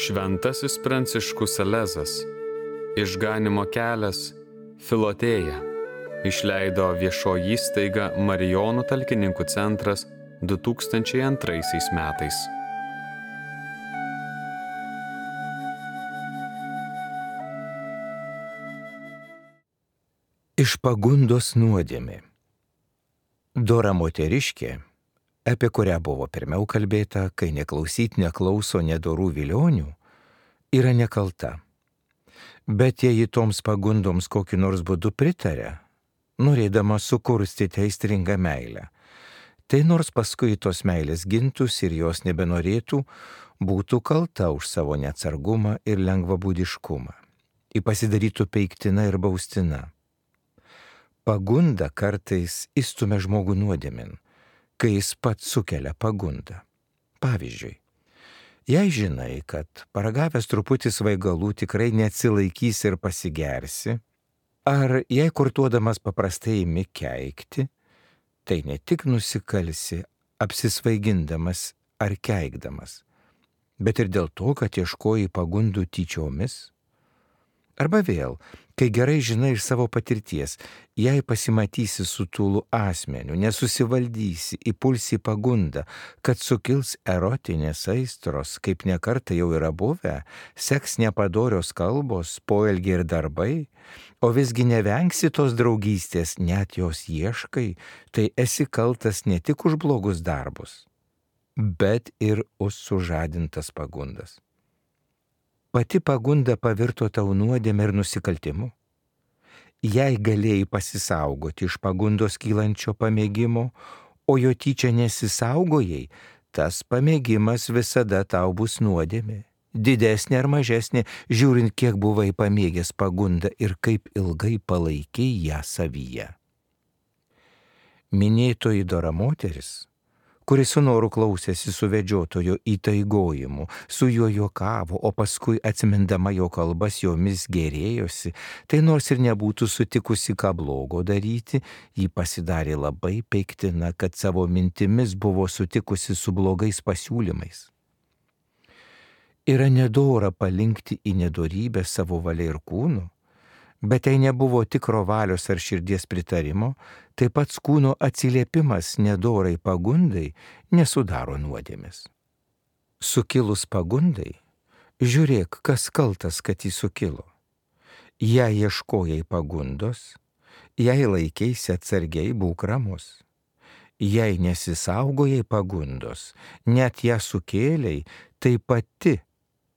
Šventasis Pranciškus Salezas, Išganymo kelias, Filotėja, išleido viešoji įstaiga Marijonų talkininkų centras 2002 metais. Iš pagundos nuodėmė. Dora moteriškė, apie kurią buvo pirmiau kalbėta, kai neklauso nedorų vilionių, yra nekalta. Bet jei toms pagundoms kokį nors būdu pritaria, norėdama sukurstyti aistringą meilę, tai nors paskui tos meilės gintųsi ir jos nebenorėtų, būtų kalta už savo neatsargumą ir lengvabūdiškumą. Ji pasidarytų peiktina ir baustina. Pagunda kartais įstumia žmogų nuodėmin, kai jis pats sukelia pagundą. Pavyzdžiui, jei žinai, kad paragavęs truputį svaigalų tikrai neatsilaikysi ir pasigersi, ar jei kurtuodamas paprastai imi keikti, tai ne tik nusikalsi apsisvaigindamas ar keikdamas, bet ir dėl to, kad ieškoji pagundų tyčiomis. Arba vėl, kai gerai žinai iš savo patirties, jei pasimatysi su tūlu asmeniu, nesusivaldysi, įpulsi pagundą, kad sukils erotinės aistros, kaip nekartą jau yra buvę, seks nepadorios kalbos, poelgiai ir darbai, o visgi nevengsi tos draugystės, net jos ieškai, tai esi kaltas ne tik už blogus darbus, bet ir už sužadintas pagundas. Pati pagunda pavirto tau nuodėmę ir nusikaltimu. Jei galėjai pasisaugoti iš pagundos kylančio pamėgimo, o jo tyčia nesisaugojai, tas pamėgimas visada tau bus nuodėmė. Didesnė ar mažesnė, žiūrint, kiek buvai pamėgęs pagundą ir kaip ilgai palaikiai ją savyje. Minėtoji dora moteris, kuris su noru klausėsi suvedžiotojo įtaigojimu, su juo juokavo, o paskui atsimindama jo kalbas jomis gėrėjosi, tai nors ir nebūtų sutikusi ką blogo daryti, ji pasidarė labai peiktina, kad savo mintimis buvo sutikusi su blogais pasiūlymais. Yra nedora palinkti į nedorybę savo valia ir kūnu, bet tai nebuvo tikro valios ar širdies pritarimo, taip pat kūno atsiliepimas nedorai pagundai nesudaro nuodėmės. Sukilus pagundai, žiūrėk, kas kaltas, kad jis sukilo. Jei ieškojai pagundos, jei laikėsi atsargiai, būk ramus. Jei nesisaugojai pagundos, net ją sukėlei, tai pati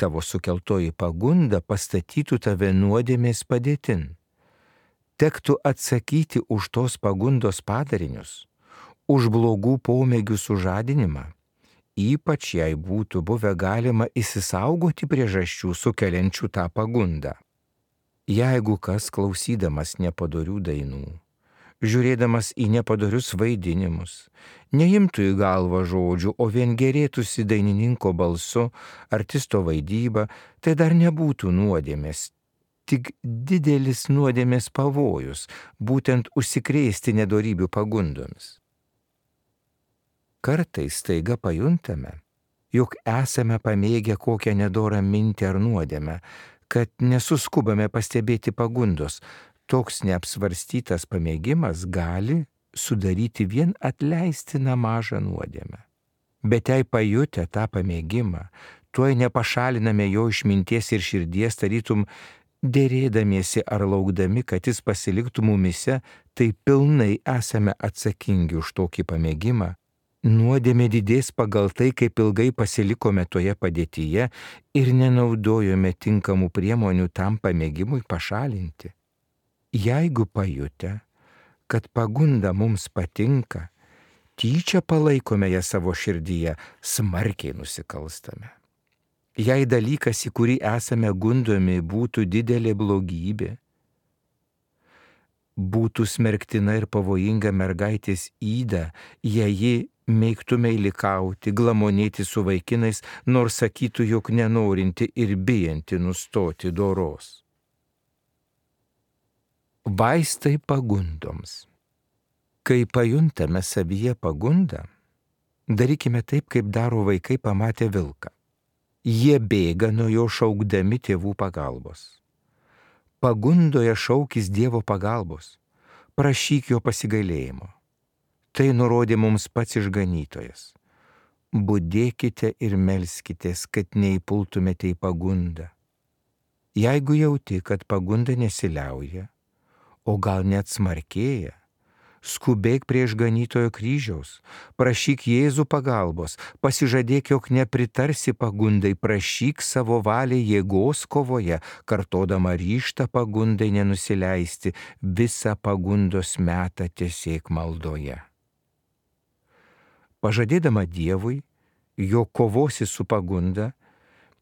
tavo sukeltoji pagunda pastatytų tave nuodėmės padėtin. Tektų atsakyti už tos pagundos padarinius, už blogų pomėgių sužadinimą, ypač jei būtų buvę galima įsisaugoti priežasčių sukeliančių tą pagundą. Jeigu kas klausydamas nepadorių dainų, žiūrėdamas į nepadorius vaidinimus, neimtų į galvą žodžių, o vien gėrėtųsi dainininko balsu, artisto vaidyba, tai dar nebūtų nuodėmės, tik didelis nuodėmės pavojus, būtent užsikrėsti nedorybių pagundomis. Kartais staiga pajuntame, jog esame pamėgę kokią nedorą mintį ar nuodėmę, kad nesuskubame pastebėti pagundos. Toks neapsvarstytas pamėgimas gali sudaryti vien atleistiną mažą nuodėmę. Bet jei pajutę tą pamėgimą, tuoj nepašaliname jo iš minties ir širdies, tarytum dėrėdamiesi ar laukdami, kad jis pasiliktų mumise, tai pilnai esame atsakingi už tokį pamėgimą. Nuodėmė didės pagal tai, kaip ilgai pasilikome toje padėtyje ir nenaudojome tinkamų priemonių tam pamėgimui pašalinti. Jeigu pajutę, kad pagunda mums patinka, tyčia palaikome ją savo širdyje, smarkiai nusikalstame. Jei dalykas, į kurį esame gundomi, būtų didelė blogybė, būtų smerktina ir pavojinga mergaitės yda, jei ji mėgtume įlikauti, glamonėti su vaikinais, nors sakytų, jog nenorinti ir bijanti nustoti doros. Vaistai pagundoms. Kai pajuntame savyje pagundą, darykime taip, kaip daro vaikai pamatę vilką. Jie bėga nuo jo šaukdami tėvų pagalbos. Pagundoje šaukis Dievo pagalbos, prašyk jo pasigailėjimo. Tai nurodė mums pats išganytojas. Budėkite ir melskitės, kad neįpultumėte į pagundą. Jeigu jauti, kad pagunda nesiliauja, o gal net smarkėja, skubėk prie išganytojo kryžiaus, prašyk Jėzų pagalbos, pasižadėk, jog nepritarsi pagundai, prašyk savo valiai jėgos kovoje, kartodama ryžtą pagundai nenusileisti, visą pagundos metą tiesiek maldoje. Pažadėdama Dievui, jog kovosi su pagunda,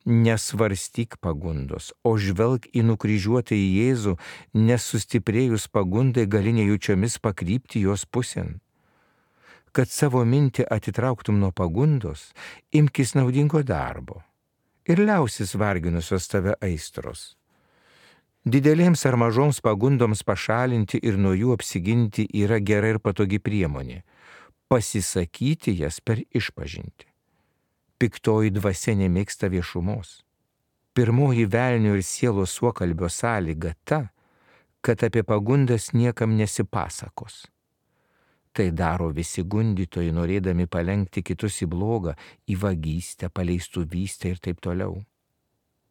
nesvarstyk pagundos, o žvelk į nukryžiuotą į Jėzų, nesustiprėjus pagundai gali nejučiomis pakrypti jos pusėn. Kad savo mintį atitrauktum nuo pagundos, imkis naudingo darbo ir liausis varginusios tave aistros. Didelėms ar mažoms pagundoms pašalinti ir nuo jų apsiginti yra gera ir patogi priemonė. Pasisakyti jas per išpažintį. Piktoji dvasia nemėgsta viešumos. Pirmoji velnio ir sielos suokalbio sąlyga ta, kad apie pagundas niekam nesipasakos. Tai daro visi gundytojai, norėdami palenkti kitus į blogą, į vagystę, paleistuvystę ir taip toliau.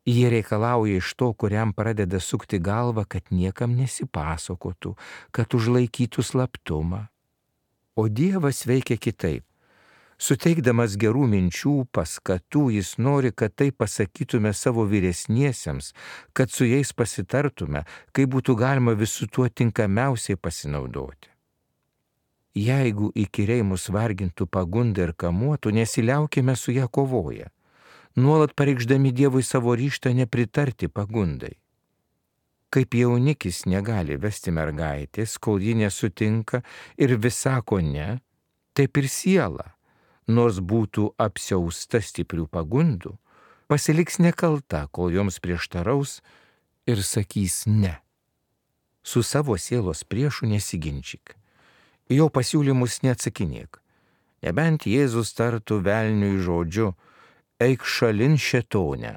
Jie reikalauja iš to, kuriam pradeda sukti galvą, kad niekam nesipasakotų, kad užlaikytų slaptumą. O Dievas veikia kitaip. Suteikdamas gerų minčių, paskatų, jis nori, kad tai pasakytume savo vyresniesiems, kad su jais pasitartume, kaip būtų galima visų tuo tinkamiausiai pasinaudoti. Jeigu įkyriai mus vargintų pagunda ir kamuotų, nesiliaukime su ją kovoje, nuolat pareikšdami Dievui savo ryžtą nepritarti pagundai. Kaip jaunikis negali vesti mergaitės, kol ji nesutinka ir vis sako ne, taip ir siela, nors būtų apsiausta stiprių pagundų, pasiliks nekalta, kol joms prieštaraus ir sakys ne. Su savo sielos priešu nesiginčyk, jo pasiūlymus neatsakinėk, nebent Jėzus tartų velniui žodžiu, eik šalin šėtone,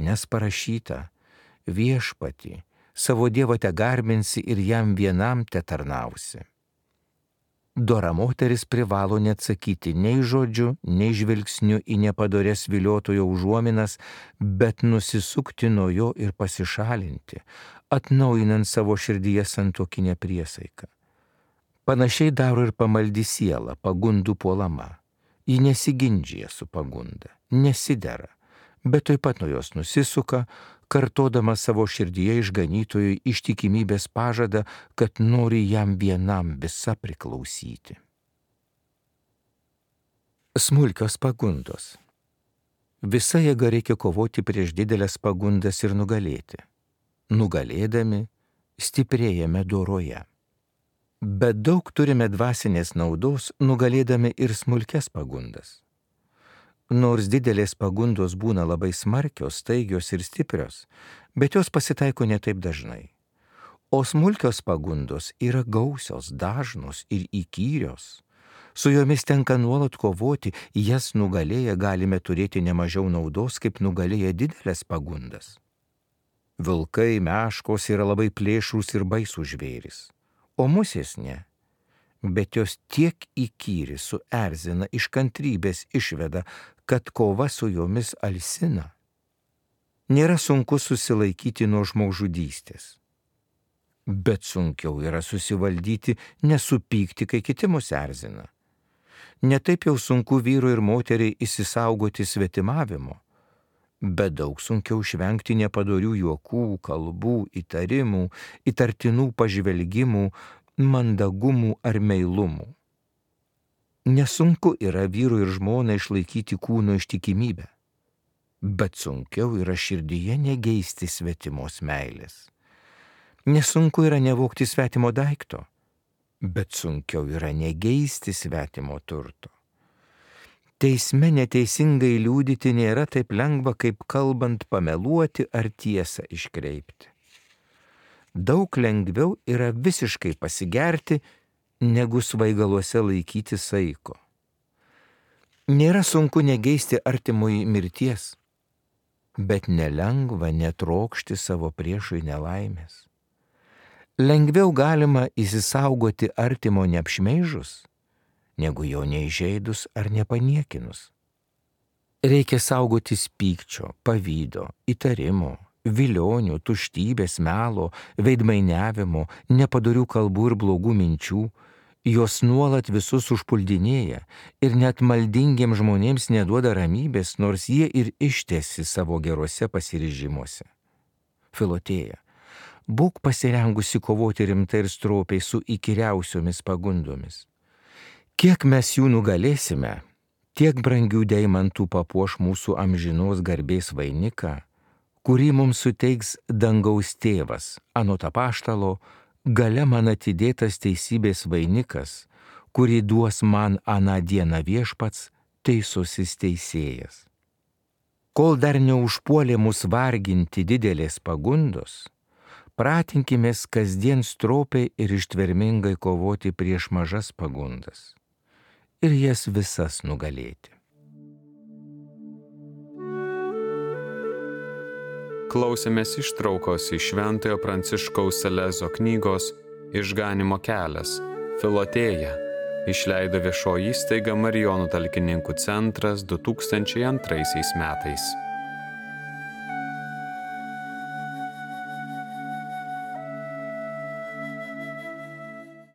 nes parašyta, viešpatį, savo Dievą te garbinsi ir jam vienam te tarnausi. Dora moteris privalo neatsakyti nei žodžiu, nei žvilgsniu į nepadorės viliotojo užuominas, bet nusisukti nuo jo ir pasišalinti, atnaujinant savo širdyje santuokinę priesaiką. Panašiai daro ir pamaldi siela, pagundų puolama. Ji nesiginčija su pagunda, nesidera, bet taip pat nuo jos nusisuka, kartodama savo širdyje išganytojui ištikimybės pažadą, kad nori jam vienam visa priklausyti. Smulkios pagundos. Visa jėga reikia kovoti prieš didelės pagundas ir nugalėti. Nugalėdami, stiprėjame doroje. Bet daug turime dvasinės naudos, nugalėdami ir smulkias pagundas. Nors didelės pagundos būna labai smarkios, staigios ir stiprios, bet jos pasitaiko ne taip dažnai. O smulkios pagundos yra gausios, dažnos ir įkyrios. Su jomis tenka nuolat kovoti, jas nugalėję galime turėti nemažiau naudos, kaip nugalėję didelės pagundas. Vilkai, meškos yra labai plėšrūs ir baisūs žvėrys, o musės ne. Bet jos tiek įkyri, suerzina, iš kantrybės išveda, kad kova su jomis alsina. Nėra sunku susilaikyti nuo žmogžudystės. Bet sunkiau yra susivaldyti, nesupykti, kai kiti mus erzina. Netaip jau sunku vyrui ir moteriai įsisaugoti svetimavimo, bet daug sunkiau išvengti nepadorių juokų, kalbų, įtarimų, įtartinų pažvelgimų, mandagumų ar meilumų. Nesunku yra vyrui ir žmonai išlaikyti kūno ištikimybę, bet sunkiau yra širdyje negeisti svetimos meilės. Nesunku yra nevogti svetimo daikto, bet sunkiau yra negeisti svetimo turto. Teisme neteisingai liudyti nėra taip lengva, kaip kalbant pameluoti ar tiesą iškreipti. Daug lengviau yra visiškai pasigerti, negu svaigaluose laikyti saiko. Nėra sunku negeisti artimui mirties, bet nelengva netrokšti savo priešui nelaimės. Lengviau galima įsisaugoti artimo neapšmeižus, negu jo neįžeidus ar nepaniekinus. Reikia saugotis pykčio, pavydo, įtarimo, vilionių, tuštybės, melo, veidmainiavimo, nepadorių kalbų ir blogų minčių. Jos nuolat visus užpuldinėja ir net maldingiems žmonėms neduoda ramybės, nors jie ir ištesi savo geruose pasiryžimuose. Filotėja, būk pasirengusi kovoti rimtai ir stropiai su įkyriausiomis pagundomis. Kiek mes jų nugalėsime, tiek brangių deimantų papuoš mūsų amžinos garbės vainiką, kurį mums suteiks dangaus tėvas, anot apaštalo, gale man atidėtas teisybės vainikas, kurį duos man aną dieną viešpats, teisusis teisėjas. Kol dar neužpuolė mus varginti didelės pagundos, pratinkimės kasdien stropiai ir ištvermingai kovoti prieš mažas pagundas ir jas visas nugalėti. Klausėmės ištraukos iš Šventojo Pranciškaus Salezo knygos Išganymo kelias – Filotėja, išleido viešoji įstaiga Marijonų talkininkų centras 2002 metais.